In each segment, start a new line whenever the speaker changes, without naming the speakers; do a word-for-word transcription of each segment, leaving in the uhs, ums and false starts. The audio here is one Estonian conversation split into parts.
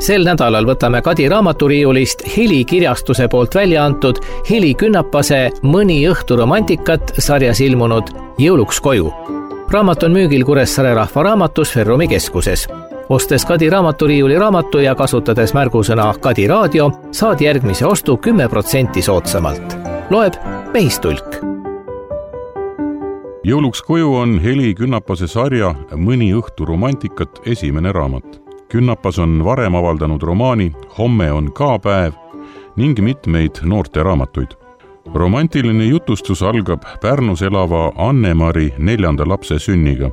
Sel nädalal võtame Kadi raamaturiiulist Heli kirjastuse poolt välja antud Heli Künnapase Mõni õhtu romantikat sarjas ilmunud Jõuluks koju. Raamat on müügil Kuressaare Rahva Raamatus Ferrumi keskuses. Ostes Kadi raamaturiiuli raamatu ja kasutades märgusõna Kadi raadio, saad järgmise ostu kümme protsenti soodsamalt. Loeb Mehistulk.
Jõuluks koju on Heli Künnapase sarja Mõni õhtu romantikat esimene raamat. Künnapas on varem avaldanud romaani Homme on ka päev ning mitmeid noorte raamatuid. Romantiline jutustus algab Pärnus elava Anne-Mari neljanda lapse sünniga.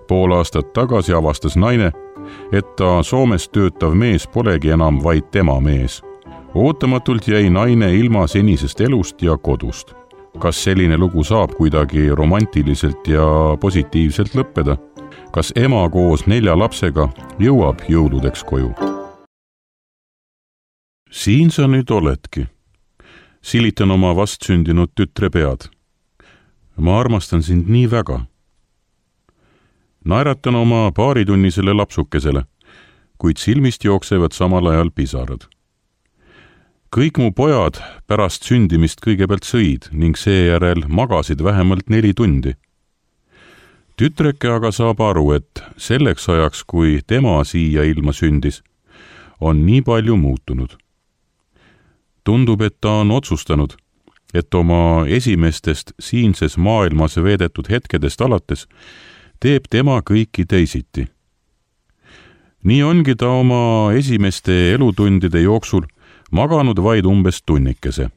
Pool aastat tagasi avastas naine, et ta Soomes töötav mees polegi enam vaid tema mees. Ootamatult jäi naine ilma senisest elust ja kodust. Kas selline lugu saab kuidagi romantiliselt ja positiivselt lõppeda? Kas ema koos nelja lapsega jõuab jõuludeks koju? Siin sa nüüd oledki. Silitan oma vastsündinud tütre pead. Ma armastan sind nii väga. Naeratan oma paaritunnisele lapsukesele, kuid silmist jooksevad samal ajal pisarad. Kõik mu pojad pärast sündimist kõigepealt sõid ning seejärel magasid vähemalt neli tundi. Tütreke aga saab aru, et selleks ajaks, kui tema siia ilma sündis, on nii palju muutunud. Tundub, et ta on otsustanud, et oma esimestest siinses maailmas veedetud hetkedest alates teeb tema kõiki teisiti. Nii ongi ta oma esimeste elutundide jooksul maganud vaid umbes tunnikese.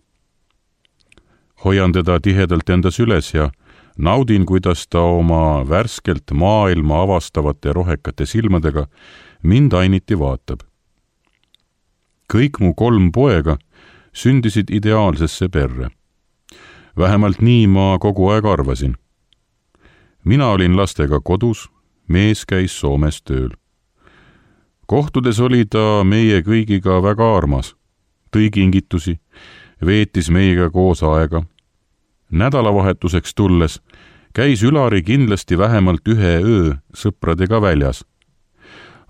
Hoian teda tihedalt endas üles ja naudin, kuidas ta oma värskelt maailma avastavate rohekate silmadega mind ainiti vaatab. Kõik mu kolm poega sündisid ideaalsesse perre. Vähemalt nii ma kogu aeg arvasin. Mina olin lastega kodus, mees käis Soomes tööl. Kohtudes oli ta meie kõigiga väga armas, tõi kingitusi, veetis meiega koos aega. Nädalavahetuseks tulles käis Ülari kindlasti vähemalt ühe öö sõpradega väljas.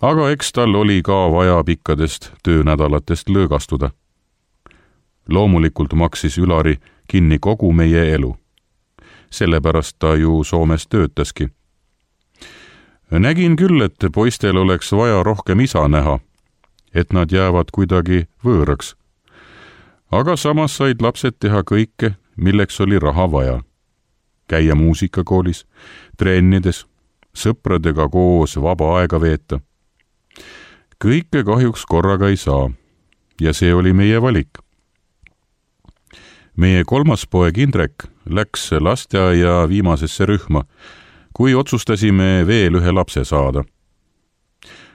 Aga eks tal oli ka vaja pikkadest töönädalatest lõõgastuda. Loomulikult maksis Ülari kinni kogu meie elu. Sellepärast ta ju Soomes töötaski. Nägin küll, et poistel oleks vaja rohkem isa näha, et nad jäävad kuidagi võõraks. Aga samas said lapsed teha kõike, milleks oli raha vaja. Käia muusikakoolis, trennides, sõpradega koos vaba aega veeta. Kõike kahjuks korraga ei saa ja see oli meie valik. Meie kolmas poeg Indrek läks lasteaia viimasesse rühma, kui otsustasime veel ühe lapse saada.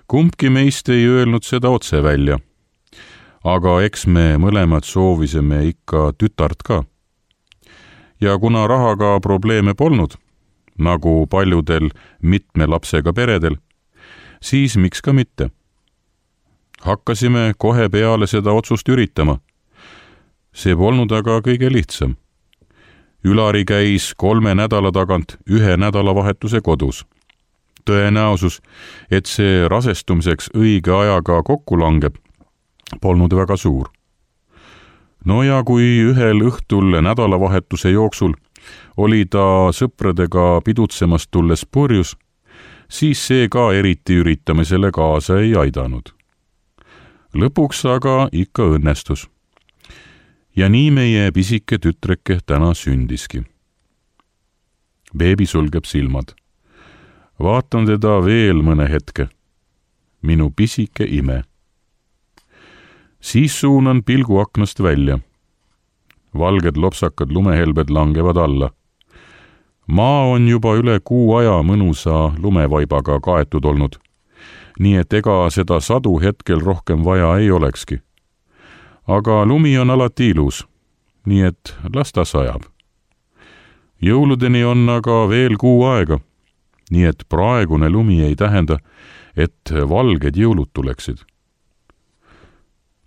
Kumbki meist ei öelnud seda otse välja, aga eks me mõlemad soovisime ikka tütart ka. Ja kuna rahaga probleeme polnud, nagu paljudel mitme lapsega peredel, siis miks ka mitte. Hakkasime kohe peale seda otsust üritama. See polnud aga kõige lihtsam. Ülari käis kolme nädala tagant ühe nädalavahetuse kodus. Tõenäosus, et see rasestumiseks õige ajaga kokku langeb, polnud väga suur. No ja kui ühel õhtul nädalavahetuse jooksul oli ta sõpradega pidutsemast tulles purjus, siis see ka eriti üritamisele kaasa ei aidanud. Lõpuks aga ikka õnnestus. Ja nii meie pisike tütreke täna sündiski. Beebi sulgeb silmad. Vaatan teda veel mõne hetke. Minu pisike ime. Siis suunan pilgu aknast välja. Valged lopsakad lumehelbed langevad alla. Maa on juba üle kuu aja mõnusa lumevaibaga kaetud olnud, nii et ega seda sadu hetkel rohkem vaja ei olekski. Aga lumi on alati ilus, nii et las ta sajab. Jõuludeni on aga veel kuu aega, nii et praegune lumi ei tähenda, et valged jõulud tuleksid.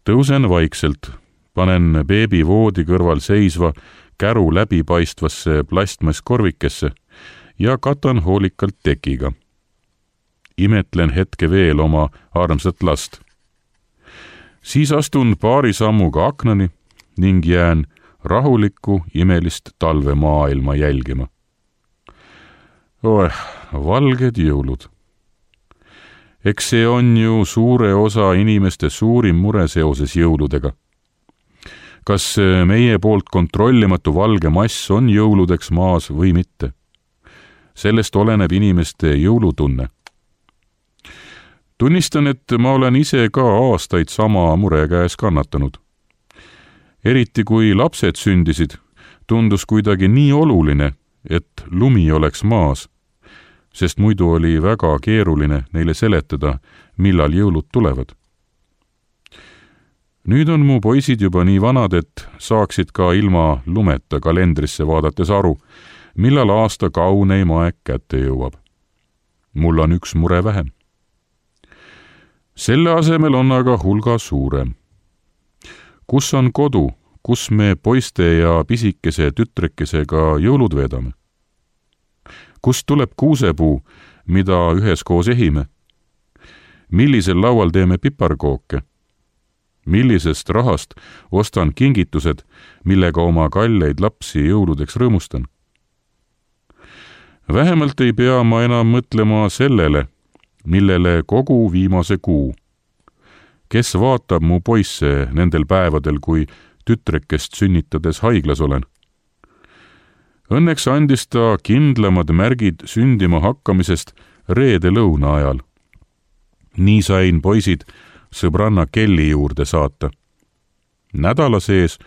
Tõusen vaikselt, panen beebi voodi kõrval seisva käru läbipaistvasse plastmasskorvikesse ja katan hoolikalt tekiga. Imetlen hetke veel oma armsat last. siis astun paari sammuga aknani ning jään rahulikku imelist talvemaailma jälgima. Oeh, valged jõulud. Eks see on ju suure osa inimeste suurim mure seoses jõuludega. Kas meie poolt kontrollimatu valge mass on jõuludeks maas või mitte? Sellest oleneb inimeste jõulutunne. Tunnistan, et ma olen ise ka aastaid sama mure käes kannatanud. Eriti kui lapsed sündisid, tundus kuidagi nii oluline, et lumi oleks maas, sest muidu oli väga keeruline neile seletada, millal jõulud tulevad. Nüüd on mu poisid juba nii vanad, et saaksid ka ilma lumeta kalendrisse vaadates aru, millal aasta kauneim aeg kätte jõuab. Mul on üks mure vähem. Selle asemel on aga hulga suurem. Kus on kodu, kus me poiste ja pisikese tütrekesega jõulud veedame? Kust tuleb kuusepuu, mida üheskoos ehime? Millisel laual teeme piparkooke? Millisest rahast ostan kingitused, millega oma kalleid lapsi jõuludeks rõõmustan? Vähemalt ei pea ma enam mõtlema sellele, millele kogu viimase kuu. Kes vaatab mu poisse nendel päevadel, kui tütrekest sünnitades haiglas olen? Õnneks andis ta kindlamad märgid sündima hakkamisest reede lõuna ajal. Nii sain poisid sõbranna Kelly juurde saata. Nädala sees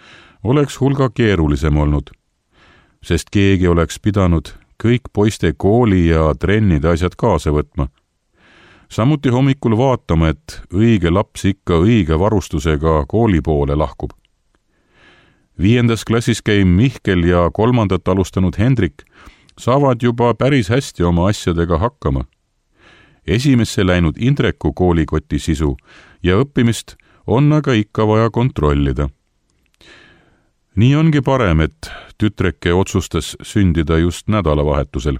oleks hulga keerulisem olnud, sest keegi oleks pidanud kõik poiste kooli ja trennide asjad kaasa võtma. Samuti hommikul vaatama, et õige laps ikka õige varustusega kooli poole lahkub. Viiendas klassis käim Mihkel ja kolmandat alustanud Hendrik saavad juba päris hästi oma asjadega hakkama. Esimesse läinud Indreku koolikoti sisu ja õppimist on aga ikka vaja kontrollida. Nii ongi parem, et tütreke otsustas sündida just nädalavahetusel.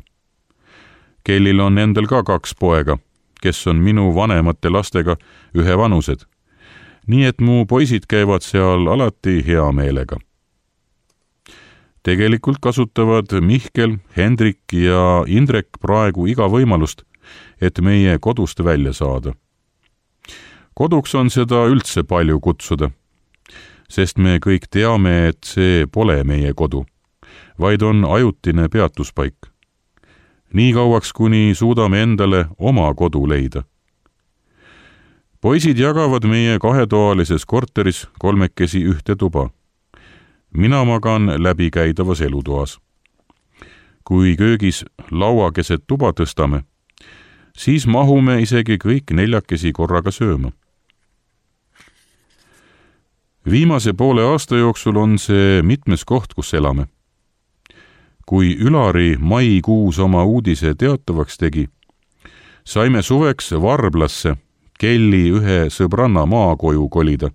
Kellil on endal ka kaks poega, kes on minu vanemate lastega ühe vanused. Nii et mu poisid käivad seal alati hea meelega. Tegelikult kasutavad Mihkel, Hendrik ja Indrek praegu iga võimalust, et meie kodust välja saada. Koduks on seda üldse palju kutsuda, sest me kõik teame, et see pole meie kodu, vaid on ajutine peatuspaik. Nii kauaks, kuni suudame endale oma kodu leida. Poisid jagavad meie kahetoalises korteris kolmekesi ühte tuba. Mina magan läbikäidavas elutoas. Kui köögis laua keset tuba tõstame, siis mahume isegi kõik neljakesi korraga sööma. Viimase poole aasta jooksul on see mitmes koht, kus elame. Kui Ülari maikuus oma uudise teatavaks tegi, saime suveks Varblasse Kelly ühe sõbranna maakoju kolida.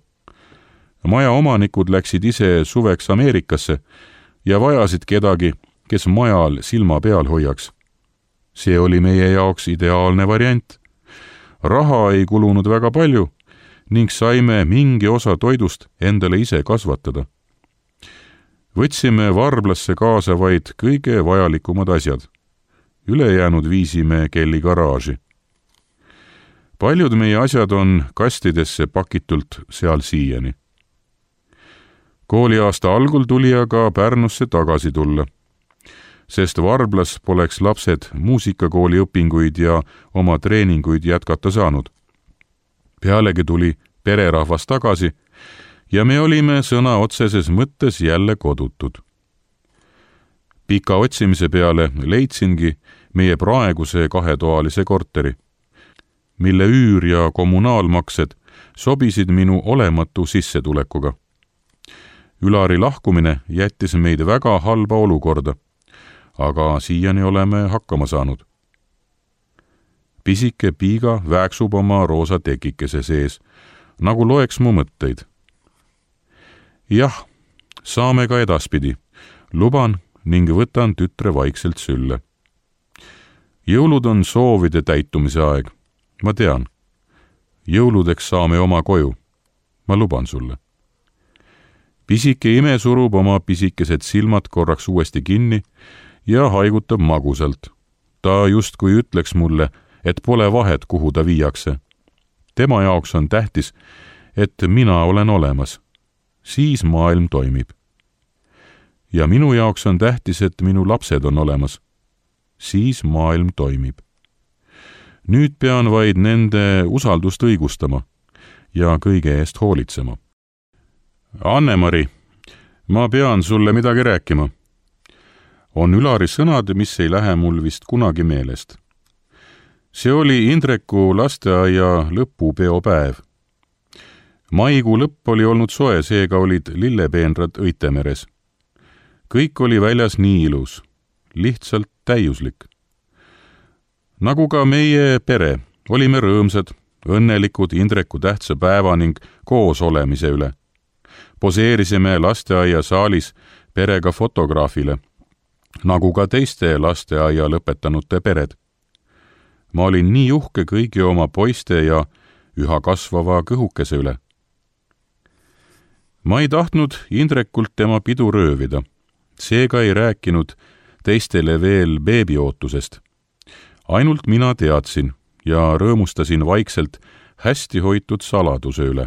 Maja omanikud läksid ise suveks Ameerikasse ja vajasid kedagi, kes majal silma peal hoiaks. See oli meie jaoks ideaalne variant. Raha ei kulunud väga palju ning saime mingi osa toidust endale ise kasvatada. Võtsime Varblasse kaasa vaid kõige vajalikumad asjad. Ülejäänud viisime Kelly garaaži. Paljud meie asjad on kastidesse pakitult seal siiani. Kooliaasta algul tuli aga Pärnusse tagasi tulla, sest Varblas poleks lapsed muusikakooli õpinguid ja oma treeninguid jätkata saanud. Pealegi tuli pererahvas tagasi ja me olime sõna otseses mõttes jälle kodutud. Pika otsimise peale leidsingi meie praeguse kahetoalise korteri, mille üür ja kommunaalmaksed sobisid minu olematu sissetulekuga. Ülari lahkumine jättis meid väga halba olukorda, aga siiani oleme hakkama saanud. Pisike Piiga vääksub oma roosa tekikese sees, nagu loeks mu mõtteid. Jah, saame ka edaspidi, luban ning võtan tütre vaikselt sülle. Jõulud on soovide täitumise aeg, ma tean. Jõuludeks saame oma koju. ma luban sulle. Pisike ime surub oma pisikesed silmad korraks uuesti kinni ja haigutab magusalt. Ta justkui ütleks mulle, et pole vahet, kuhu ta viiakse. Tema jaoks on tähtis, et mina olen olemas. Siis maailm toimib. Ja minu jaoks on tähtis, et minu lapsed on olemas. Siis maailm toimib. Nüüd pean vaid nende usaldust õigustama ja kõige eest hoolitsema. Anne-Mari, ma pean sulle midagi rääkima. On Ülari sõnad, mis ei lähe mul vist kunagi meelest. See oli Indreku lasteaia lõpupeopäev. Maikuu lõpp oli olnud soe, seega olid lillepeenrad õitemeres. Kõik oli väljas nii ilus, lihtsalt täiuslik. Nagu ka meie pere, olime rõõmsad, õnnelikud Indreku tähtsa päeva ning koos olemise üle. Poseerisime lasteaia saalis perega fotograafile, nagu ka teiste lasteaia lõpetanute pered. Ma olin nii uhke kõigi oma poiste ja üha kasvava kõhukese üle. Ma ei tahtnud Indrekult tema pidu röövida, seega ei rääkinud teistele veel beebiootusest. Ainult mina teadsin ja rõõmustasin vaikselt hästi hoitud saladuse üle.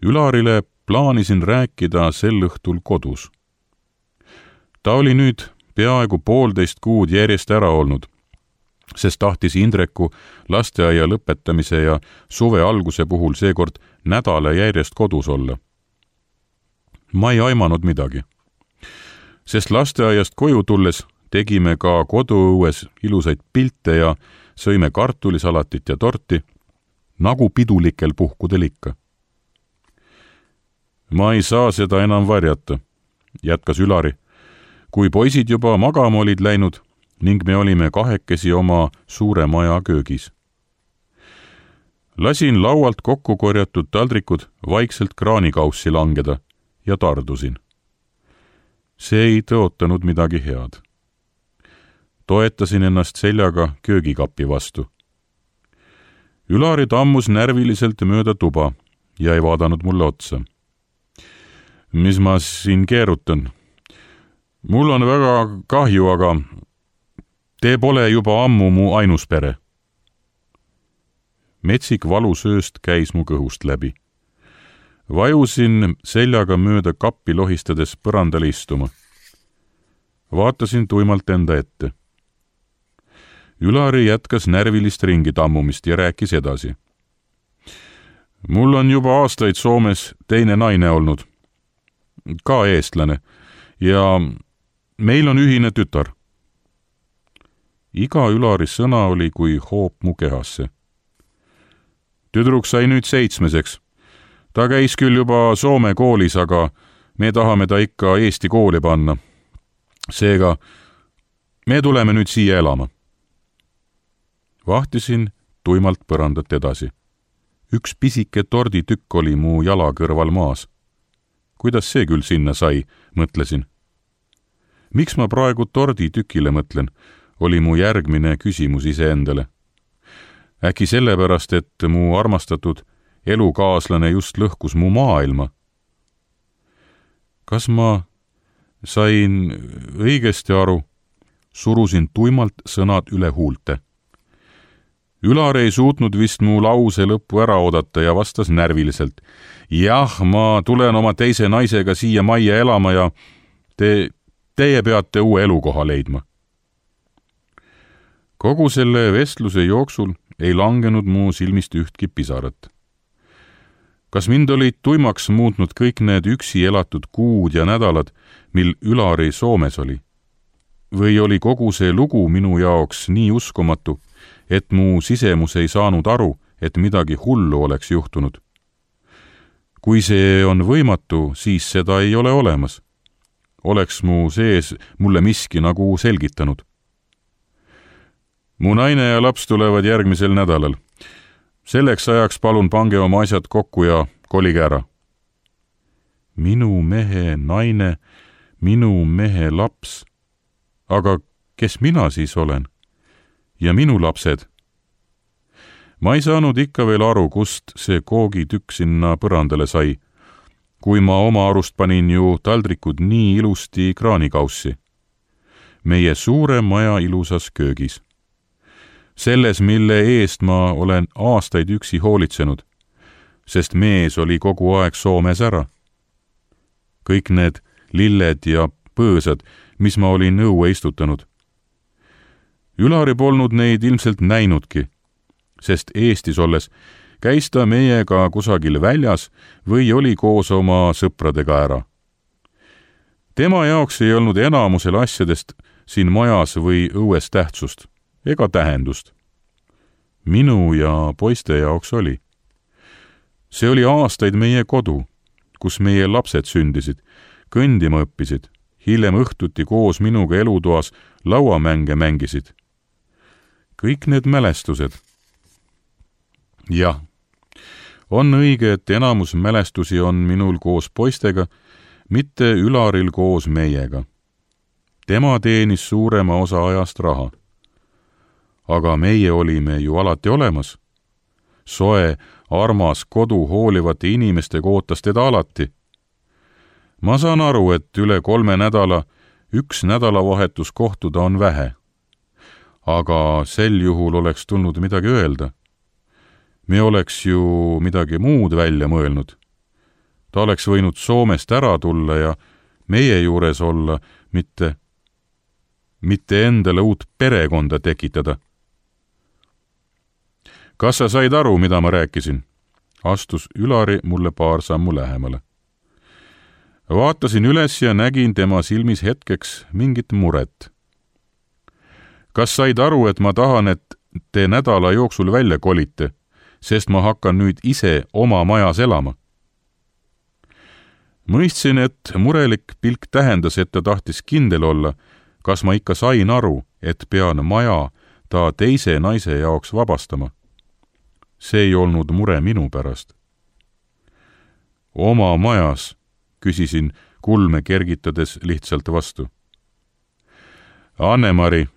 Ülarile plaanisin rääkida sel õhtul kodus. Ta oli nüüd peaaegu poolteist kuud järjest ära olnud, sest tahtis Indreku lasteaia lõpetamise ja suve alguse puhul seekord nädala järjest kodus olla. Ma ei aimanud midagi, sest lasteaiast koju tulles tegime ka koduõues ilusaid pilte ja sõime kartulisalatit ja torti, nagu pidulikel puhkudel ikka. Ma ei saa seda enam varjata, jätkas Ülari, kui poisid juba magama olid läinud ning me olime kahekesi oma suure maja köögis. Lasin laualt kokku korjatud taldrikud vaikselt kraanikaussi langeda ja tardusin. See ei tõotanud midagi head. Toetasin ennast seljaga köögikappi vastu. Ülari tammus närviliselt mööda tuba ja ei vaadanud mulle otsa. Mis ma siin keerutan? Mul on väga kahju, aga te pole juba ammu mu ainus pere. Metsik valusööst käis mu kõhust läbi. Vajusin seljaga mööda kappi lohistades põrandale istuma. Vaatasin tuimalt enda ette. Ülari jätkas närvilist ringi tammumist ja rääkis edasi. Mul on juba aastaid Soomes teine naine olnud, ka eestlane, ja meil on ühine tütar. Iga Ülari sõna oli kui hoop mu kehasse. Tüdruk sai nüüd seitsmeseks. Ta käis küll juba Soome koolis, aga me tahame ta ikka Eesti kooli panna. Seega me tuleme nüüd siia elama. Vahtisin tuimalt põrandat edasi. Üks pisike torditükk oli mu jala kõrval maas. Kuidas see küll sinna sai, mõtlesin. Miks ma praegu torditükile mõtlen, oli mu järgmine küsimus iseendale. Äkki sellepärast, et mu armastatud elukaaslane just lõhkus mu maailma. Kas ma sain õigesti aru? Surusin tuimalt sõnad üle huulte. Ülar ei suutnud vist mu lause lõppu ära oodata ja vastas närviliselt. Jah, ma tulen oma teise naisega siia majja elama ja te, teie peate uue elukoha leidma. Kogu selle vestluse jooksul ei langenud mu silmist ühtki pisarat. Kas mind olid tuimaks muutnud kõik need üksi elatud kuud ja nädalad, mil Ülari Soomes oli? Või oli kogu see lugu minu jaoks nii uskumatu, et mu sisemus ei saanud aru, et midagi hullu oleks juhtunud? Kui see on võimatu, siis seda ei ole olemas. Oleks mu sees mulle miski nagu selgitanud. Mu naine ja laps tulevad järgmisel nädalal. Selleks ajaks palun pange oma asjad kokku ja kolige ära. Minu mehe naine, minu mehe laps. Aga kes mina siis olen? Ja minu lapsed? Ma ei saanud ikka veel aru, kust see koogitükk sinna põrandale sai, kui ma oma arust panin ju taldrikud nii ilusti kraanikaussi. Meie suure maja ilusas köögis. Selles, mille eest ma olen aastaid üksi hoolitsenud, sest mees oli kogu aeg Soomes ära. Kõik need lilled ja põõsad, mis ma olin õue istutanud. Ülari polnud neid ilmselt näinudki, sest Eestis olles käis ta meiega kusagil väljas või oli koos oma sõpradega ära. Tema jaoks ei olnud enamusel asjadest siin majas või õues tähtsust ega tähendust. Minu ja poiste jaoks oli. See oli aastaid meie kodu, kus meie lapsed sündisid, kõndima õppisid, hiljem õhtuti koos minuga elutoas lauamänge mängisid. Kõik need mälestused. Jah, on õige, et enamus mälestusi on minul koos poistega, mitte Ülaril koos meiega. Tema teenis suurema osa ajast raha. Aga meie olime ju alati olemas. Soe, armas kodu hoolivate inimestega ootas teda alati. Ma saan aru, et üle kolme nädala üks nädalavahetus kohtuda on vähe. Aga sel juhul oleks tulnud midagi öelda. Me oleks ju midagi muud välja mõelnud. Ta oleks võinud Soomest ära tulla ja meie juures olla, mitte, mitte endale uut perekonda tekitada. Kas sa said aru, mida ma rääkisin? Astus Ülari mulle paar sammu lähemale. Vaatasin üles ja nägin tema silmis hetkeks mingit muret. Kas said aru, et ma tahan, et te nädala jooksul välja kolite, sest ma hakkan nüüd ise oma majas elama? Mõistsin, et murelik pilk tähendas, et ta tahtis kindel olla, kas ma ikka sain aru, et pean maja ta teise naise jaoks vabastama. See ei olnud mure minu pärast. Oma majas, küsisin kulme kergitades lihtsalt vastu. Anne-Mari,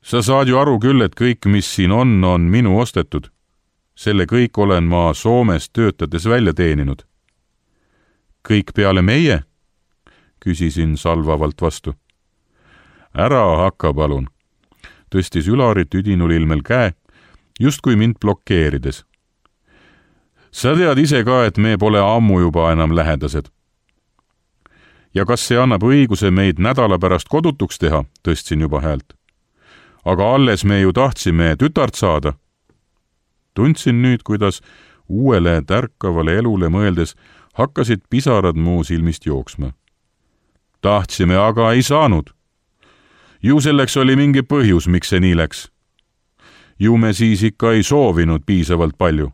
sa saad ju aru küll, et kõik, mis siin on, on minu ostetud. Selle kõik olen ma Soomes töötades välja teeninud. Kõik peale meie? Küsisin salvavalt vastu. Ära hakka, palun. Tõstis Ülari tüdinul ilmel käe, justkui mind blokeerides. Sa tead ise ka, et me pole ammu juba enam lähedased. Ja kas see annab õiguse meid nädala pärast kodutuks teha, tõstsin juba häält. Aga alles me ju tahtsime tütart saada. Tundsin nüüd, kuidas uuele tärkavale elule mõeldes hakkasid pisarad muu silmist jooksma. Tahtsime, aga ei saanud. Ju selleks oli mingi põhjus, miks see nii läks. Ju me siis ikka ei soovinud piisavalt palju.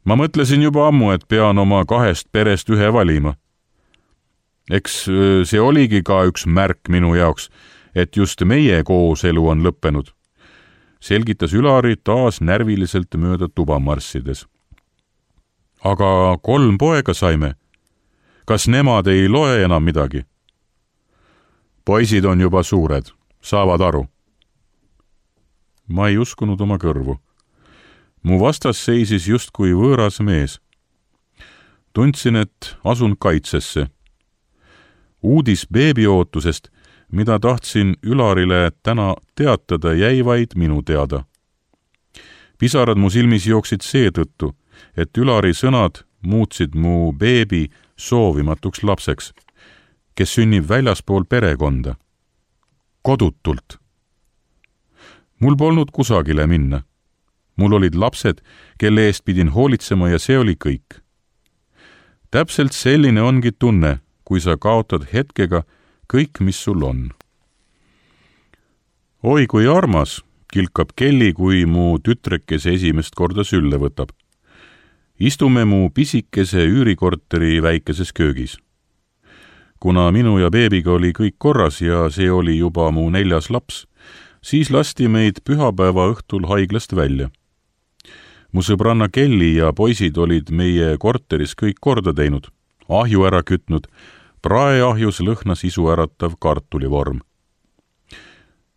Ma mõtlesin juba ammu, et pean oma kahest perest ühe valima. Eks see oligi ka üks märk minu jaoks, et just meie kooselu on lõppenud. Selgitas Ülari taas närviliselt mööda tuba marssides. Aga kolm poega saime. Kas nemad ei loe enam midagi? Poisid on juba suured, saavad aru. Ma ei uskunud oma kõrvu. Mu vastas seisis justkui võõras mees. Tundsin, et asun kaitsesse. Uudis beebiootusest, mida tahtsin Ülarile täna teatada, jäi vaid minu teada. Pisarad mu silmis jooksid seetõttu, et Ülari sõnad muutsid mu beebi soovimatuks lapseks, kes sünnib väljaspool perekonda. Kodutult. Mul polnud kusagile minna. Mul olid lapsed, kelle eest pidin hoolitsema ja see oli kõik. Täpselt selline ongi tunne, kui sa kaotad hetkega kõik, mis sul on. Oi, kui armas, kilkab Kelly, kui mu tütrekese esimest korda sülle võtab. Istume mu pisikese üürikorteri väikeses köögis. Kuna minu ja beebiga oli kõik korras ja see oli juba mu neljas laps, siis lasti meid pühapäeva õhtul haiglast välja. Mu sõbranna Kelly ja poisid olid meie korteris kõik korda teinud, ahju ära kütnud, praeahjus lõhnas isu äratav kartulivorm.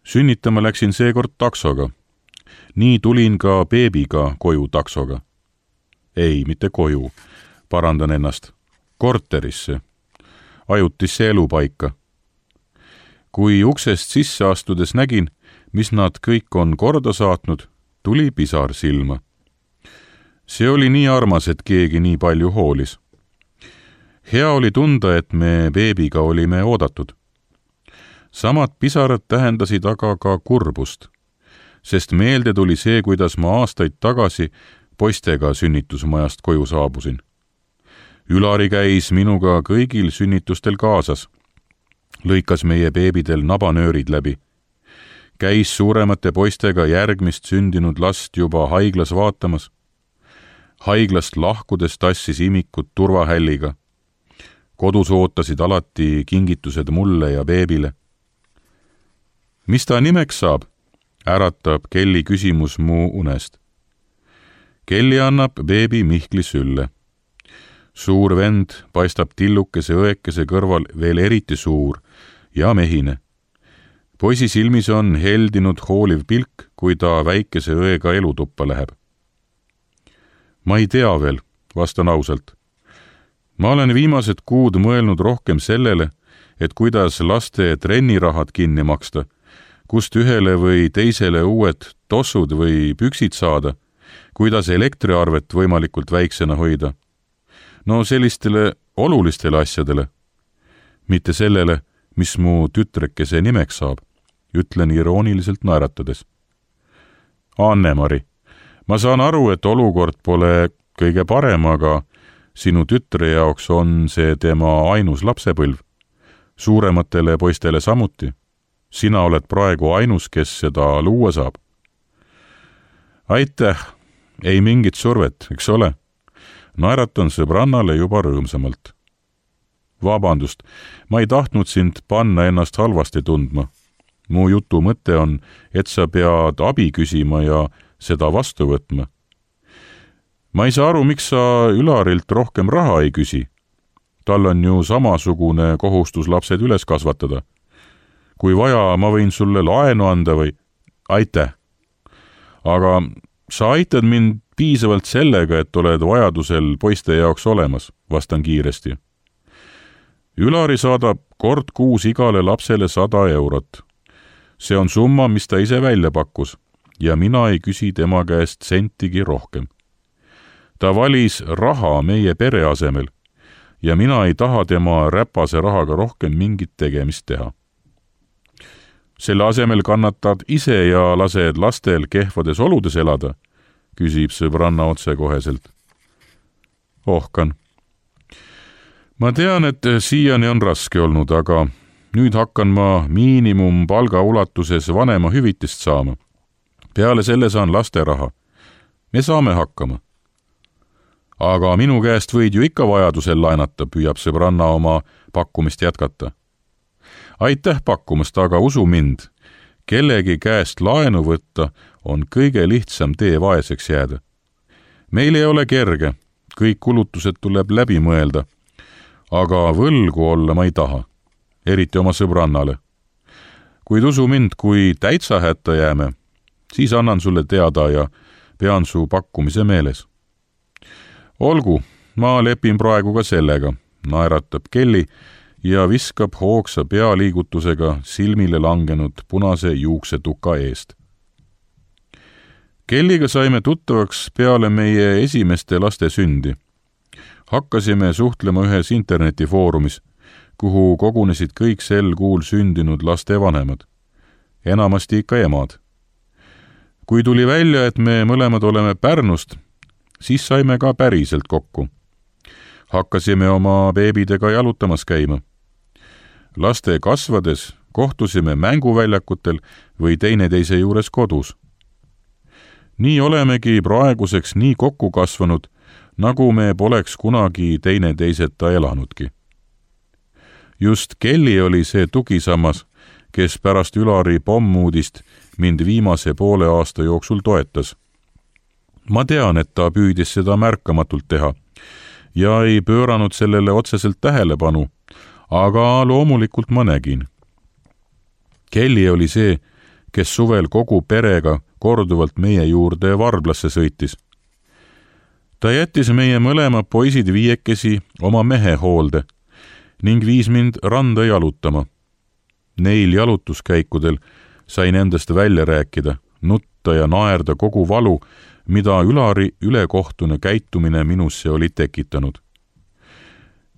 Sünnitama läksin seekord taksoga. nii tulin ka beebiga koju taksoga. Ei, mitte koju, parandan ennast, korterisse, ajutisse elupaika. Kui uksest sisse astudes nägin, mis nad kõik on korda saatnud, tuli pisar silma. See oli nii armas, et keegi nii palju hoolis. Hea oli tunda, et me beebiga olime oodatud. Samad pisarad tähendasid aga ka kurbust, sest meelde tuli see, kuidas ma aastaid tagasi poistega sünnitusmajast koju saabusin. Ülari käis minuga kõigil sünnitustel kaasas. Lõikas meie beebidel nabanöörid läbi. Käis suuremate poistega järgmist sündinud last juba haiglas vaatamas. Haiglast lahkudes tassis imikud turvahälliga. Kodus ootasid alati kingitused mulle ja beebile. Mis ta nimeks saab? Äratab Kelli küsimus mu unest. Kelli annab beebi Mihkli sülle. Suur vend paistab tillukese õekese kõrval veel eriti suur ja mehine. Poisi silmis on heldinud hooliv pilk, kui ta väikese õega elutuppa läheb. Ma ei tea veel, vastan ausalt. Ma olen viimased kuud mõelnud rohkem sellele, et kuidas laste trennirahad kinni maksta, kust ühele või teisele uued tossud või püksid saada, kuidas elektriarvet võimalikult väiksena hoida. No sellistele olulistele asjadele. Mitte sellele, mis mu tütrekese nimeks saab, ütlen irooniliselt naeratades. Anne-Mari, ma saan aru, et olukord pole kõige parem, aga sinu tütre jaoks on see tema ainus lapsepõlv. Suurematele poistele samuti. Sina oled praegu ainus, kes seda luua saab. Aitäh, ei mingit survet, eks ole? Naeratan sõbrannale juba rõõmsamalt. Vabandust, ma ei tahtnud sind panna ennast halvasti tundma. Mu jutu mõte on, et sa pead abi küsima ja seda vastu võtma. Ma ei saa aru, miks sa Ülarilt rohkem raha ei küsi. Tal on ju samasugune kohustus lapsed üles kasvatada. Kui vaja, ma võin sulle laenu anda või... Aitäh! Aga sa aitad mind piisavalt sellega, et oled vajadusel poiste jaoks olemas, vastan kiiresti. Ülari saadab kord kuus igale lapsele sada eurot. See on summa, mis ta ise välja pakkus ja mina ei küsi tema käest sentigi rohkem. Ta valis raha meie pere asemel ja mina ei taha tema räpase rahaga rohkem mingit tegemist teha. Selle asemel kannatad ise ja lased lastel kehvades oludes elada, küsib sõbranna otsekoheselt. Ohkan. Ma tean, et siiani on raske olnud, aga nüüd hakkan ma miinimumpalga ulatuses vanema hüvitist saama. Peale selle saan lasteraha. Me saame hakkama. Aga minu käest võid ju ikka vajadusel laenata, püüab sõbranna oma pakkumist jätkata. Aitäh pakkumast, aga usu mind, kellegi käest laenu võtta on kõige lihtsam tee vaeseks jääda. Meil ei ole kerge, kõik kulutused tuleb läbi mõelda, aga võlgu olla ma ei taha, eriti oma sõbrannale. Kuid usu mind, kui täitsa hätta jääme, siis annan sulle teada ja pean su pakkumise meeles. Olgu, ma lepin praegu ka sellega, naeratab Kelli ja viskab hoogsa pealiigutusega silmile langenud punase juuksetuka eest. Kelliga saime tuttavaks peale meie esimeste laste sündi. Hakkasime suhtlema ühes internetifoorumis, kuhu kogunesid kõik sel kuul sündinud laste vanemad. Enamasti ikka emad. Kui tuli välja, et me mõlemad oleme Pärnust, siis saime ka päriselt kokku. Hakkasime oma beebidega jalutamas käima. Laste kasvades kohtusime mänguväljakutel või teineteise juures kodus. Nii olemegi praeguseks nii kokku kasvanud, nagu me poleks kunagi teineteiseta elanudki. Just Kelli oli see tugisammas, kes pärast Ülari pommuudist mind viimase poole aasta jooksul toetas. Ma tean, et ta püüdis seda märkamatult teha ja ei pööranud sellele otseselt tähelepanu, aga loomulikult ma nägin. Kelli oli see, kes suvel kogu perega korduvalt meie juurde Varblasse sõitis. Ta jättis meie mõlema poisid viiekesi oma mehe hoolde ning viis mind randa jalutama. Neil jalutuskäikudel sain endast välja rääkida, nutta ja naerda kogu valu, mida Ülari ülekohtune käitumine minusse oli tekitanud.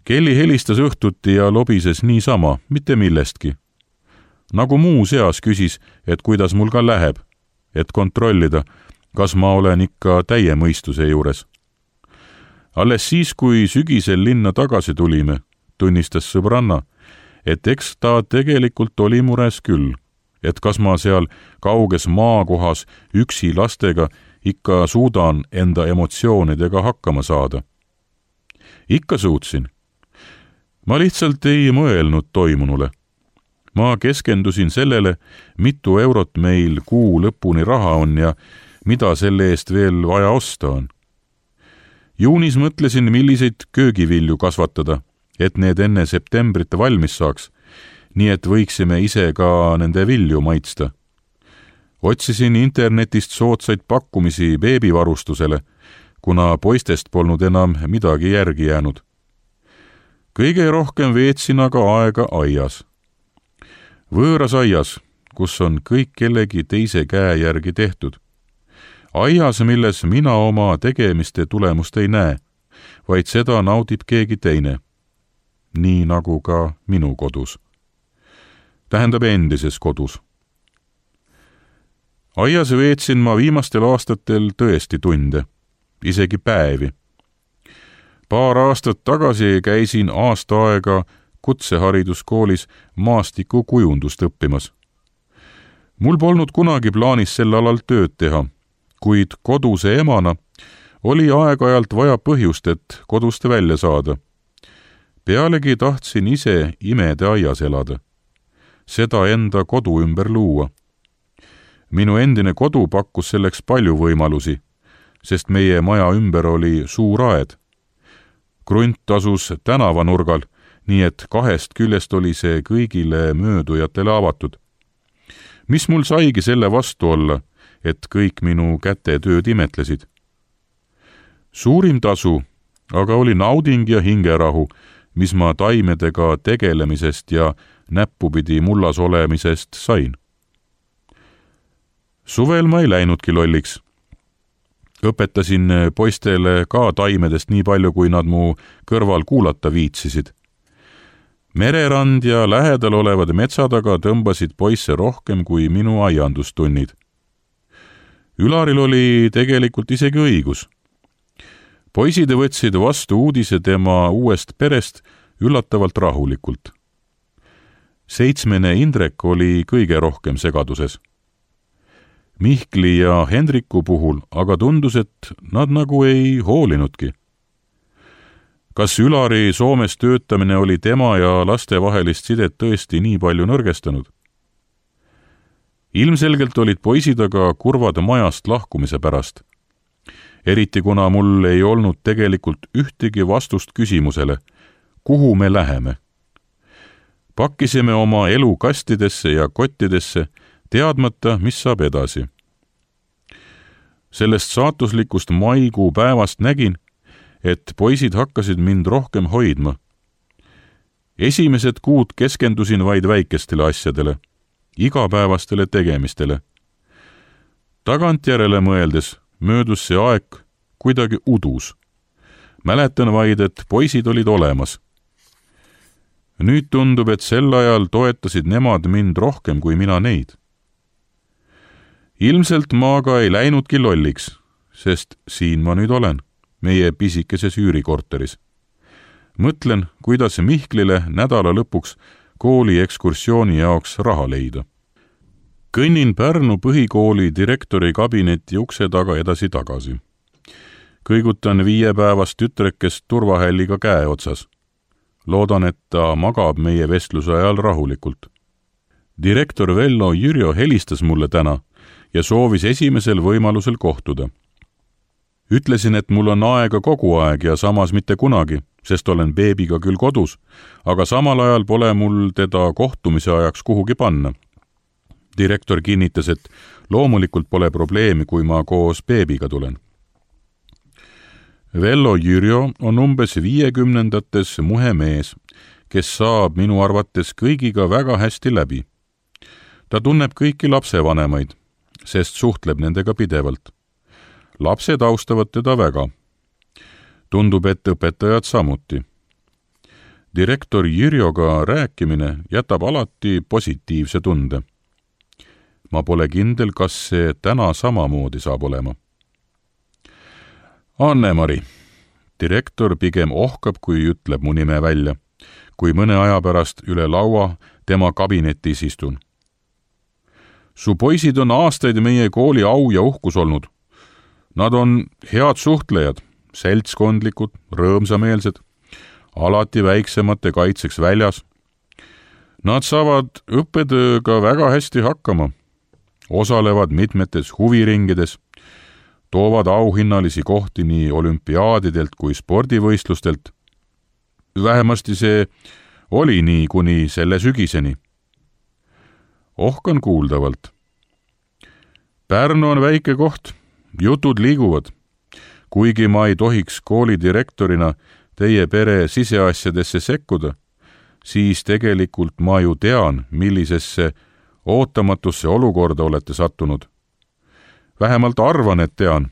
Kelly helistas õhtuti ja lobises niisama, mitte millestki. Nagu muu seas küsis, et kuidas mul ka läheb, et kontrollida, kas ma olen ikka täie mõistuse juures. Alles siis, kui sügisel linna tagasi tulime, tunnistas sõbranna, et eks ta tegelikult oli mures küll, et kas ma seal kauges maakohas üksi lastega ikka suudan enda emotsioonidega hakkama saada. Ikka suutsin. Ma lihtsalt ei mõelnud toimunule. Ma keskendusin sellele, mitu eurot meil kuu lõpuni raha on ja mida selle eest veel vaja osta on. Juunis mõtlesin, milliseid köögivilju kasvatada, et need enne septembrit valmis saaks, nii et võiksime ise ka nende vilju maitsta. Otsisin internetist soodsaid pakkumisi beebivarustusele, kuna poistest polnud enam midagi järgi jäänud. Kõige rohkem veetsin aga aega aias. Võõras aias, kus on kõik kellegi teise käe järgi tehtud. Aias, milles mina oma tegemiste tulemust ei näe, vaid seda naudib keegi teine. Nii nagu ka minu kodus. Tähendab endises kodus. Aias veetsin ma viimastel aastatel tõesti tunde, isegi päevi. Paar aastat tagasi käisin aasta aega kutsehariduskoolis maastikukujundust õppimas. Mul polnud kunagi plaanis sel alal tööd teha, kuid koduse emana oli aeg-ajalt vaja põhjust, et kodust välja saada. Pealegi tahtsin ise imede aias elada. Seda enda kodu ümber luua. Minu endine kodu pakkus selleks palju võimalusi, sest meie maja ümber oli suur aed. Krunt asus tänavanurgal, nii et kahest küljest oli see kõigile möödujatele avatud. Mis mul saigi selle vastu olla, et kõik minu kätetööd imetlesid? Suurim tasu aga oli nauding ja hingerahu, mis ma taimedega tegelemisest ja näppupidi mullas olemisest sain. Suvel ma ei läinudki lolliks. Õpetasin poistele ka taimedest nii palju, kui nad mu kõrval kuulata viitsisid. Mererand ja lähedal olevad metsad aga tõmbasid poisse rohkem kui minu aiandustunnid. Ülaril oli tegelikult isegi õigus. Poisid võtsid vastu uudise tema uuest perest üllatavalt rahulikult. Seitsmene Indrek oli kõige rohkem segaduses. Mihkli ja Hendriku puhul aga tundus, et nad nagu ei hoolinudki. Kas Ülari Soomes töötamine oli tema ja laste vahelist sidet tõesti nii palju nõrgestanud? Ilmselgelt olid poisid aga kurvad majast lahkumise pärast. Eriti kuna mul ei olnud tegelikult ühtegi vastust küsimusele, kuhu me läheme. Pakkisime oma elu kastidesse ja kottidesse, teadmata, mis saab edasi. Sellest saatuslikust maikuu päevast nägin, et poisid hakkasid mind rohkem hoidma. Esimesed kuud keskendusin vaid väikestele asjadele, igapäevastele tegemistele. Tagantjärele mõeldes möödus see aeg kuidagi udus. Mäletan vaid, et poisid olid olemas. Nüüd tundub, et sel ajal toetasid nemad mind rohkem kui mina neid. Ilmselt ma aga ei läinudki lolliks, sest siin ma nüüd olen, meie pisikeses üürikorteris. Mõtlen, kuidas Mihklile nädala lõpuks kooli ekskursiooni jaoks raha leida. Kõnnin Pärnu põhikooli direktori kabineti ukse taga edasi-tagasi. Kõigutan viiepäevast tütrekest turvahälliga käe otsas. Loodan, et ta magab meie vestluse ajal rahulikult. Direktor Vello Jürjo helistas mulle täna ja soovis esimesel võimalusel kohtuda. Ütlesin, et mul on aega kogu aeg ja samas mitte kunagi, sest olen beebiga küll kodus, aga samal ajal pole mul teda kohtumise ajaks kuhugi panna. direktor kinnitas, et loomulikult pole probleemi, kui ma koos beebiga tulen. Vello Jürjo on umbes viiekümnendates muhe mees, kes saab minu arvates kõigiga väga hästi läbi. Ta tunneb kõiki lapsevanemaid, sest suhtleb nendega pidevalt. Lapsed austavad teda väga. Tundub, et õpetajad samuti. Direktor Jürjoga rääkimine jätab alati positiivse tunde. Ma pole kindel, kas see täna samamoodi saab olema. Anne-Mari. Direktor pigem ohkab, kui ütleb mu nime välja, kui mõne aja pärast üle laua tema kabinetis istun. Su poisid on aastaid meie kooli au ja uhkus olnud. Nad on head suhtlejad, seltskondlikud, rõõmsameelsed, alati väiksemate kaitseks väljas. Nad saavad õppetööga väga hästi hakkama, osalevad mitmetes huviringides, toovad auhinnalisi kohti nii olümpiaadidelt kui spordivõistlustelt. Vähemasti see oli nii kuni selle sügiseni. Ohkan kuuldavalt. Pärnu on väike koht, jutud liiguvad. Kuigi ma ei tohiks koolidirektorina teie pere siseasjadesse sekkuda, siis tegelikult ma ju tean, millisesse ootamatusse olukorda olete sattunud. Vähemalt arvan, et tean.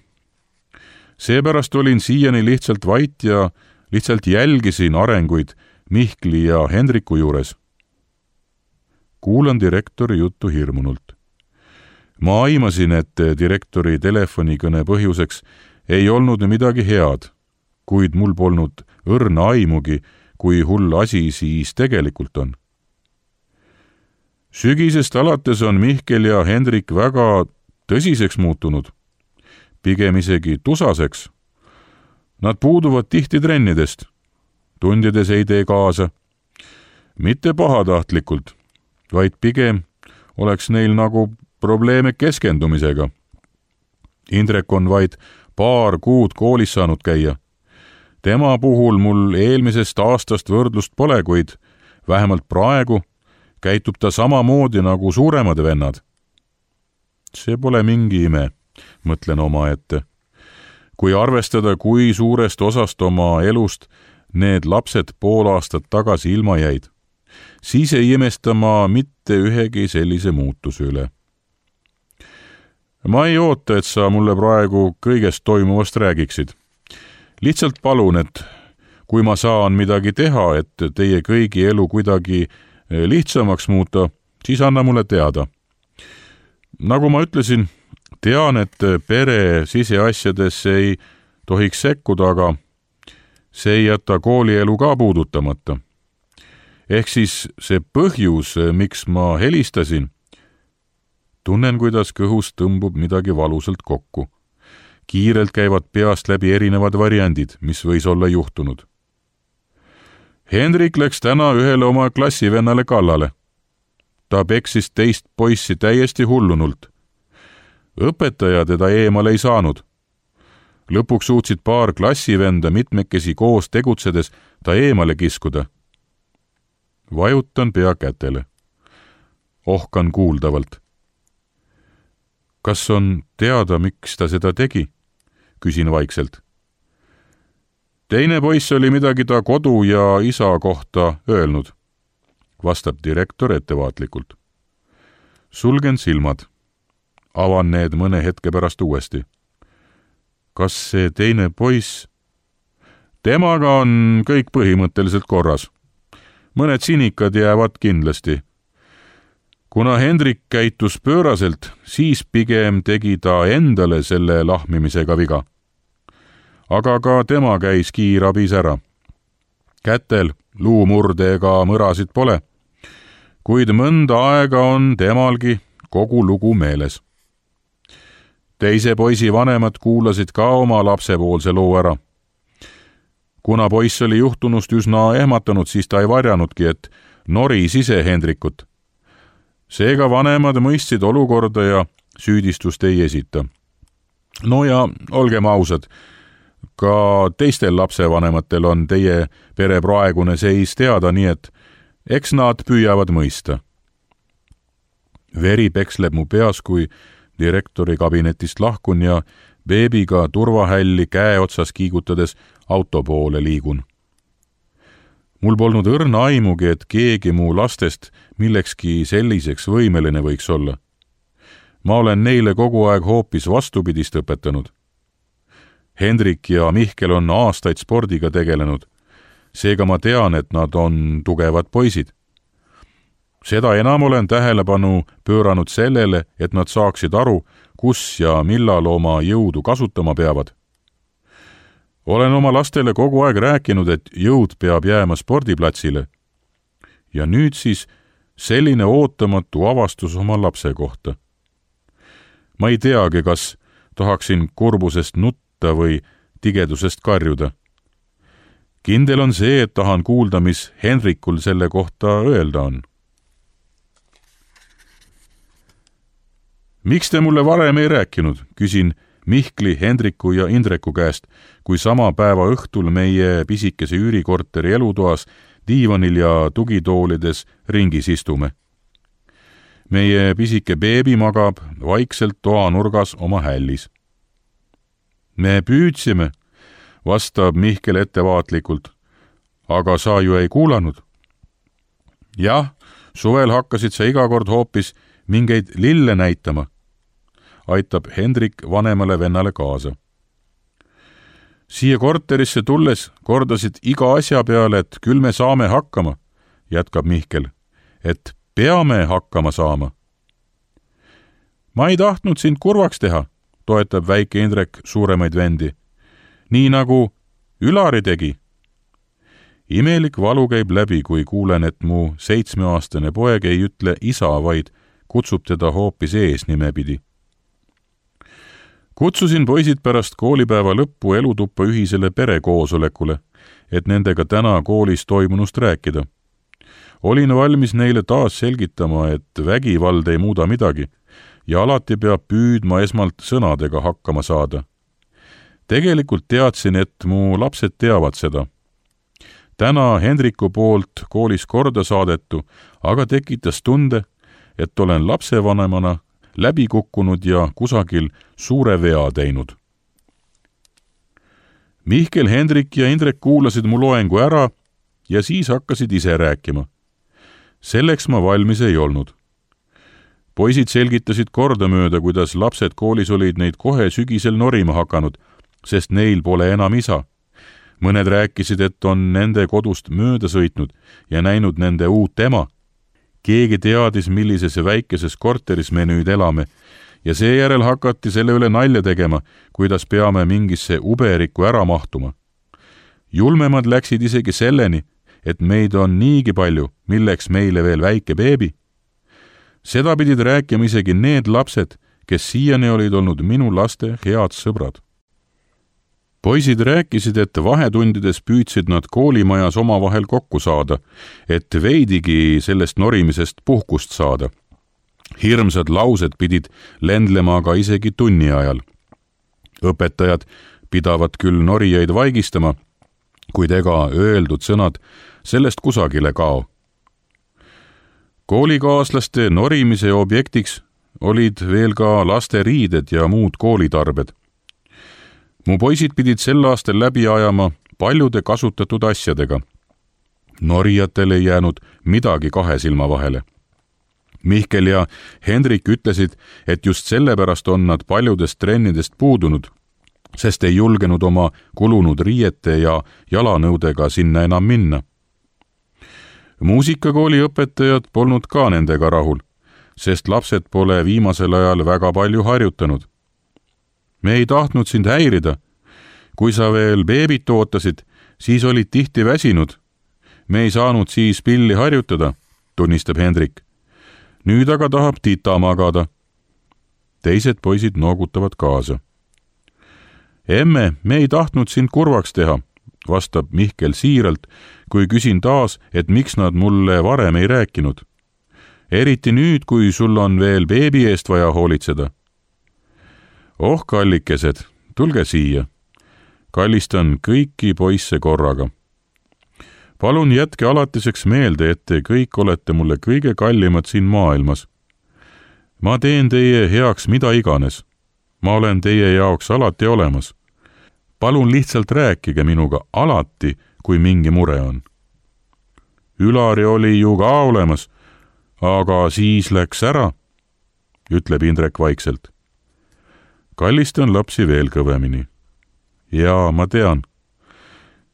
Seepärast olin siiani lihtsalt vait ja lihtsalt jälgisin arenguid Mihkli ja Hendriku juures. Kuulan direktori juttu hirmunult. Ma aimasin, et direktori telefonikõne põhjuseks ei olnud midagi head, kuid mul polnud õrna aimugi, kui hull asi siis tegelikult on. Sügisest alates on Mihkel ja Hendrik väga tõsiseks muutunud, pigem isegi tusaseks. Nad puuduvad tihti trennidest, tundides ei tee kaasa. Mitte pahatahtlikult, vaid pigem oleks neil nagu probleeme keskendumisega. Indrek on vaid paar kuud koolis saanud käia. Tema puhul mul eelmisest aastast võrdlust pole, kuid vähemalt praegu käitub ta samamoodi nagu suuremad vennad. See pole mingi ime, mõtlen oma ette. Kui arvestada, kui suurest osast oma elust need lapsed pool aastat tagasi ilma jäid, siis ei imesta ma mitte ühegi sellise muutuse üle. Ma ei oota, et sa mulle praegu kõigest toimuvast räägiksid. Lihtsalt palun, et kui ma saan midagi teha, et teie kõigi elu kuidagi lihtsamaks muuta, siis anna mulle teada. Nagu ma ütlesin, tean, et pere siseasjadesse ei tohiks sekkuda, aga see ei jäta koolielu ka puudutamata. Ehk siis see põhjus, miks ma helistasin, tunnen, kuidas kõhus tõmbub midagi valusalt kokku. Kiirelt käivad peast läbi erinevad variandid, mis võis olla juhtunud. Hendrik läks täna ühele oma klassivennale kallale. Ta peksis teist poissi täiesti hullunult. Õpetaja teda eemale ei saanud. Lõpuks suutsid paar klassivenda mitmekesi koos tegutsedes ta eemale kiskuda. Vajutan pea kätele. Ohkan kuuldavalt. Kas on teada, miks ta seda tegi? Küsin vaikselt. Teine poiss oli midagi ta kodu ja isa kohta öelnud, vastab direktor ettevaatlikult. Sulgen silmad. Avan need mõne hetke pärast uuesti. Kas see teine poiss? Temaga on kõik põhimõtteliselt korras. Mõned sinikad jäävad kindlasti. Kuna Hendrik käitus pööraselt, siis pigem tegi ta endale selle lahmimisega viga. Aga ka tema käis kiirabis ära. Kätel luumurde ega mõrasid pole, kuid mõnda aega on temalgi kogu lugu meeles. Teise poisi vanemad kuulasid ka oma lapsepoolse loo ära. Kuna poiss oli juhtunust üsna ehmatanud, siis ta ei varjanudki, et noris ise Hendrikut. Seega vanemad mõistsid olukorda ja süüdistust ei esita. No ja olgem ausad, ka teistel lapsevanematel on teie pere praegune seis teada, nii et eks nad püüavad mõista. veri peksleb mu peas, kui direktori kabinetist lahkun ja beebiga turvahälli käe otsas kiigutades auto poole liigun. Mul polnud õrna aimugi, et keegi mu lastest millekski selliseks võimeline võiks olla. Ma olen neile kogu aeg hoopis vastupidist õpetanud. Hendrik ja Mihkel on aastaid spordiga tegelenud, seega ma tean, et nad on tugevad poisid. Seda enam olen tähelepanu pööranud sellele, et nad saaksid aru, kus ja millal oma jõudu kasutama peavad. Olen oma lastele kogu aeg rääkinud, et jõud peab jääma spordiplatsile. Ja nüüd siis selline ootamatu avastus oma lapse kohta. Ma ei teagi, kas tahaksin kurbusest nutta või tigedusest karjuda. Kindel on see, et tahan kuulda, mis Henrikul selle kohta öelda on. Miks te mulle varem ei rääkinud, küsin Mihkli, Hendriku ja Indreku käest, kui sama päeva õhtul meie pisikese üürikorteri elutoas diivanil ja tugitoolides ringis istume. Meie pisike beebi magab vaikselt toanurgas oma hällis. Me püüdsime, vastab Mihkel ettevaatlikult, aga sa ju ei kuulanud. Jah, suvel hakkasid sa iga kord hoopis mingeid lille näitama, aitab Hendrik vanemale vennale kaasa. Siia korterisse tulles kordasid iga asja peale, et küll me saame hakkama, jätkab Mihkel, et peame hakkama saama. Ma ei tahtnud sind kurvaks teha, toetab väike Indrek suuremaid vendi, nii nagu Ülari tegi. Imelik valu käib läbi, kui kuulen, et mu seitsmeaastane poeg ei ütle isa, vaid kutsub teda hoopis eesnime pidi. Kutsusin poisid pärast koolipäeva lõppu elutuppa ühisele perekoosolekule, et nendega täna koolis toimunust rääkida. Olin valmis neile taas selgitama, et vägivald ei muuda midagi ja alati peab püüdma esmalt sõnadega hakkama saada. Tegelikult teadsin, et mu lapsed teavad seda. Täna Hendriku poolt koolis korda saadetu, aga tekitas tunde, et olen lapsevanemana läbi kukkunud ja kusagil suure vea teinud. Mihkel, Hendrik ja Indrek kuulasid mu loengu ära ja siis hakkasid ise rääkima. Selleks ma valmis ei olnud. Poisid selgitasid kordamööda, kuidas lapsed koolis olid neid kohe sügisel norima hakanud, sest neil pole enam isa. Mõned rääkisid, et on nende kodust mööda sõitnud ja näinud nende uut ema. Keegi teadis, millises väikeses korteris me nüüd elame ja seejärel hakati selle üle nalja tegema, kuidas peame mingisse uberikku ära mahtuma. Julmemad läksid isegi selleni, et meid on niigi palju, milleks meile veel väike beebi. Seda pidid rääkima isegi need lapsed, kes siiani olid olnud minu laste head sõbrad. Poisid rääkisid, et vahetundides püüdsid nad koolimajas omavahel kokku saada, et veidigi sellest norimisest puhkust saada. Hirmsad laused pidid lendlema aga isegi tunni ajal. Õpetajad pidavad küll norijaid vaigistama, kuid ega öeldud sõnad sellest kusagile kao. Koolikaaslaste norimise objektiks olid veel ka laste riided ja muud koolitarbed. Mu poisid pidid sel aastal läbi ajama paljude kasutatud asjadega. Norijatel ei jäänud midagi kahe silma vahele. Mihkel ja Hendrik ütlesid, et just sellepärast on nad paljudest trennidest puudunud, sest ei julgenud oma kulunud riiete ja jalanõudega sinna enam minna. Muusikakooli õpetajad polnud ka nendega rahul, sest lapsed pole viimasel ajal väga palju harjutanud. Me ei tahtnud sind häirida. Kui sa veel beebit ootasid, siis olid tihti väsinud. Me ei saanud siis pilli harjutada, tunnistab Hendrik. Nüüd aga tahab tita magada. Teised poisid noogutavad kaasa. Emme, me ei tahtnud sind kurvaks teha, vastab Mihkel siiralt, kui küsin taas, et miks nad mulle varem ei rääkinud. Eriti nüüd, kui sul on veel beebi eest vaja hoolitseda. Oh, kallikesed, tulge siia. Kallistan kõiki poisse korraga. Palun jätke alatiseks meelde, et te kõik olete mulle kõige kallimad siin maailmas. ma teen teie heaks mida iganes. ma olen teie jaoks alati olemas. palun lihtsalt rääkige minuga alati, kui mingi mure on. Ülari oli ju ka olemas, aga siis läks ära, ütleb Indrek vaikselt. Kallistan lapsi veel kõvemini. Jaa, ma tean.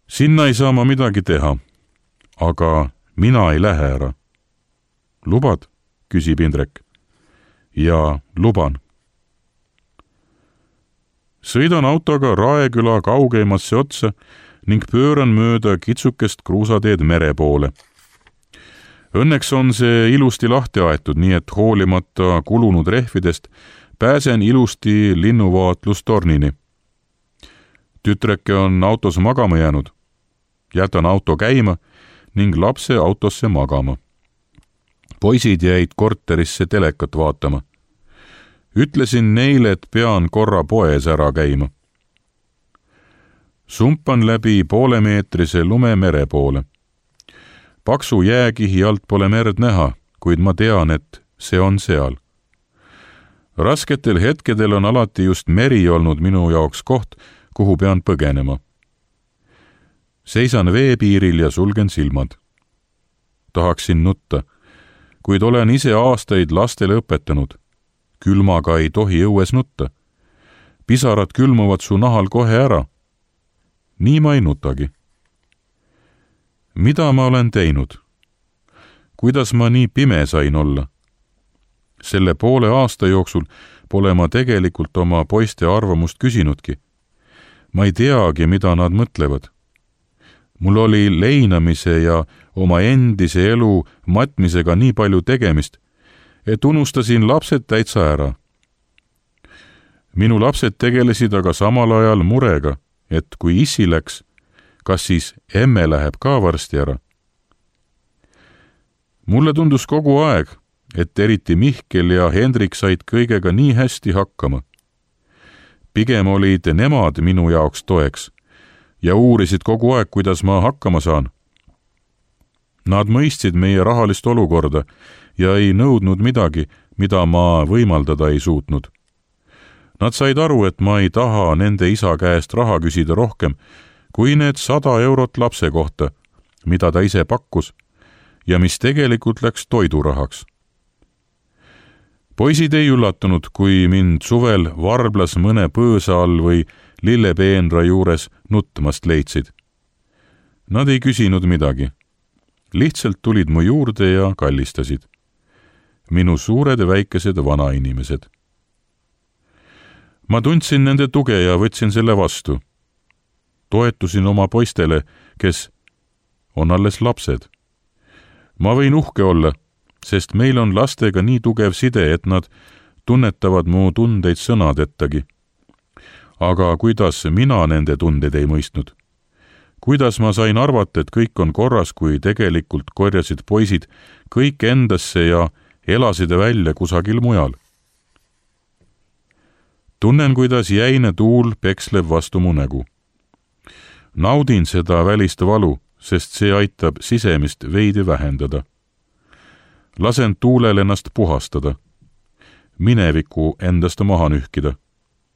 Sinna ei saa ma midagi teha, aga mina ei lähe ära. Lubad? Küsib Indrek. Jaa, luban. Sõidan autoga Raeküla kaugeimasse otsa ning pööran mööda kitsukest kruusateed mere poole. Õnneks on see ilusti lahti aetud, nii et hoolimata kulunud rehvidest pääsen ilusti linnuvaatlustornini. Tütreke on autos magama jäänud. Jätan auto käima ning lapse autosse magama. Poisid jäid korterisse telekat vaatama. Ütlesin neile, et pean korra poes ära käima. Sumpan läbi poolemeetrise lume mere poole. Paksu jääkihi alt pole merd näha, kuid ma tean, et see on seal. Rasketel hetkedel on alati just meri olnud minu jaoks koht, kuhu pean põgenema. Seisan veepiiril ja sulgen silmad. Tahaksin nutta, kuid olen ise aastaid lastele õpetanud. Külmaga ei tohi õues nutta. Pisarad külmuvad su nahal kohe ära. Nii ma ei nutagi. Mida ma olen teinud? Kuidas ma nii pime sain olla? Selle poole aasta jooksul pole ma tegelikult oma poiste arvamust küsinudki. Ma ei teagi, mida nad mõtlevad. Mul oli leinamise ja oma endise elu matmisega nii palju tegemist, et unustasin lapsed täitsa ära. Minu lapsed tegelesid aga samal ajal murega, et kui issi läks, kas siis emme läheb ka varsti ära. Mulle tundus kogu aeg, et eriti Mihkel ja Hendrik said kõigega nii hästi hakkama. Pigem olid nemad minu jaoks toeks ja uurisid kogu aeg, kuidas ma hakkama saan. Nad mõistsid meie rahalist olukorda ja ei nõudnud midagi, mida ma võimaldada ei suutnud. Nad said aru, et ma ei taha nende isa käest raha küsida rohkem kui need sada eurot lapse kohta, mida ta ise pakkus ja mis tegelikult läks toidurahaks. Poisid ei üllatunud, kui mind suvel varblas mõne põõsa all või lillepeenra juures nutmast leidsid. Nad ei küsinud midagi. Lihtsalt tulid mu juurde ja kallistasid. Minu suured ja väikesed vanainimesed. Ma tundsin nende tuge ja võtsin selle vastu. Toetusin oma poistele, kes on alles lapsed. Ma võin uhke olla, sest meil on lastega nii tugev side, et nad tunnetavad mu tundeid sõnadettagi. Aga kuidas mina nende tundeid ei mõistnud? Kuidas ma sain arvata, et kõik on korras, kui tegelikult korjasid poisid kõik endasse ja elasid välja kusagil mujal? Tunnen, kuidas jäine tuul peksleb vastu mu nägu. Naudin seda välist valu, sest see aitab sisemist veidi vähendada. Lasen tuulel ennast puhastada. Mineviku endast maha nühkida.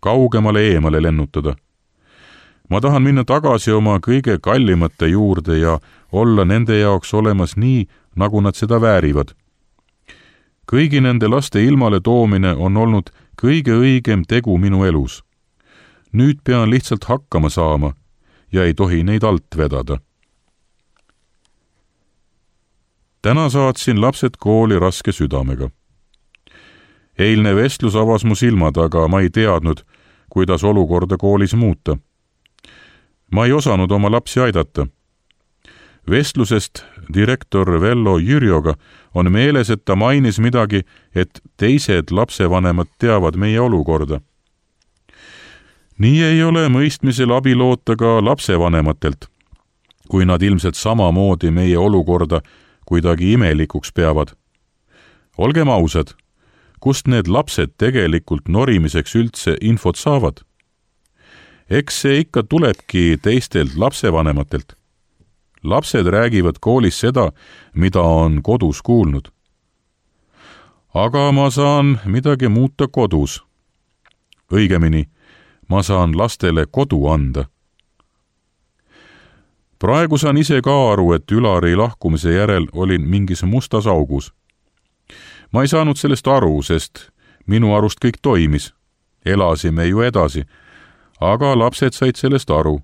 Kaugemale eemale lennutada. Ma tahan minna tagasi oma kõige kallimate juurde ja olla nende jaoks olemas nii, nagu nad seda väärivad. Kõigi nende laste ilmale toomine on olnud kõige õigem tegu minu elus. Nüüd pean lihtsalt hakkama saama ja ei tohi neid alt vedada. Täna saatsin lapsed kooli raske südamega. Eilne vestlus avas mu silmad, aga ma ei teadnud, kuidas olukorda koolis muuta. Ma ei osanud oma lapsi aidata. Vestlusest direktor Vello Jürjoga on meeles, et ta mainis midagi, et teised lapsevanemad teavad meie olukorda. Nii ei ole mõistmisel abi loota ka lapsevanematelt, kui nad ilmselt samamoodi meie olukorda kuidagi imelikuks peavad. Olgem ausad, kust need lapsed tegelikult norimiseks üldse infot saavad? Eks see ikka tulebki teistelt lapsevanematelt. Lapsed räägivad koolis seda, mida on kodus kuulnud. aga ma saan midagi muuta kodus. Õigemini, ma saan lastele kodu anda. Praegu saan ise ka aru, et Ülari lahkumise järel olin mingis mustas augus. Ma ei saanud sellest aru, sest minu arust kõik toimis. Elasime ju edasi, aga lapsed said sellest aru.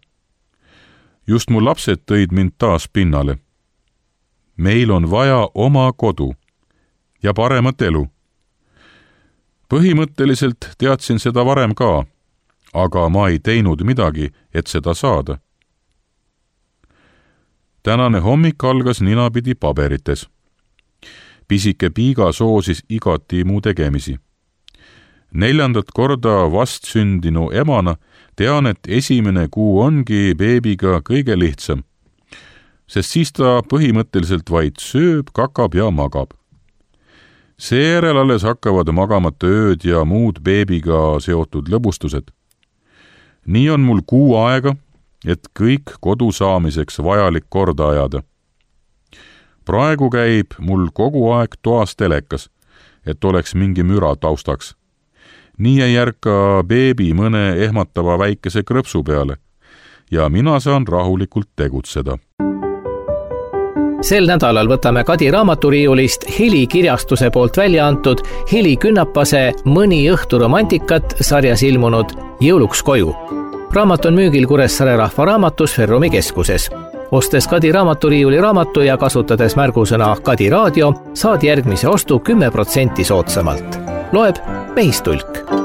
Just mu lapsed tõid mind taas pinnale. Meil on vaja oma kodu ja paremat elu. Põhimõtteliselt teadsin seda varem ka, aga ma ei teinud midagi, et seda saada. Tänane hommik algas ninapidi paberites. Pisike Piiga soosis igati mu tegemisi. Neljandat korda vastsündinu emana tean, et esimene kuu ongi beebiga kõige lihtsam, sest siis ta põhimõtteliselt vaid sööb, kakab ja magab. Seejärel alles hakkavad magamata ööd ja muud beebiga seotud lõbustused. Nii on mul kuu aega, et kõik kodu saamiseks vajalik korda ajada. Praegu käib mul kogu aeg toas telekas, et oleks mingi müra taustaks. Nii ei järka beebi mõne ehmatava väikese krõpsu peale ja mina saan rahulikult tegutseda.
Sel nädalal võtame Kadi raamaturiiulist Heli kirjastuse poolt välja antud Heli Künnapase Mõni õhtu romantikat sarjas ilmunud Jõuluks koju. Raamat on müügil Kuressaare Rahvaraamatus Ferrumi keskuses. Ostes Kadi raamaturiiuli raamatu ja kasutades märgusõna Kadi raadio, saad järgmise ostu kümme protsenti soodsamalt. Loeb Mehistulk.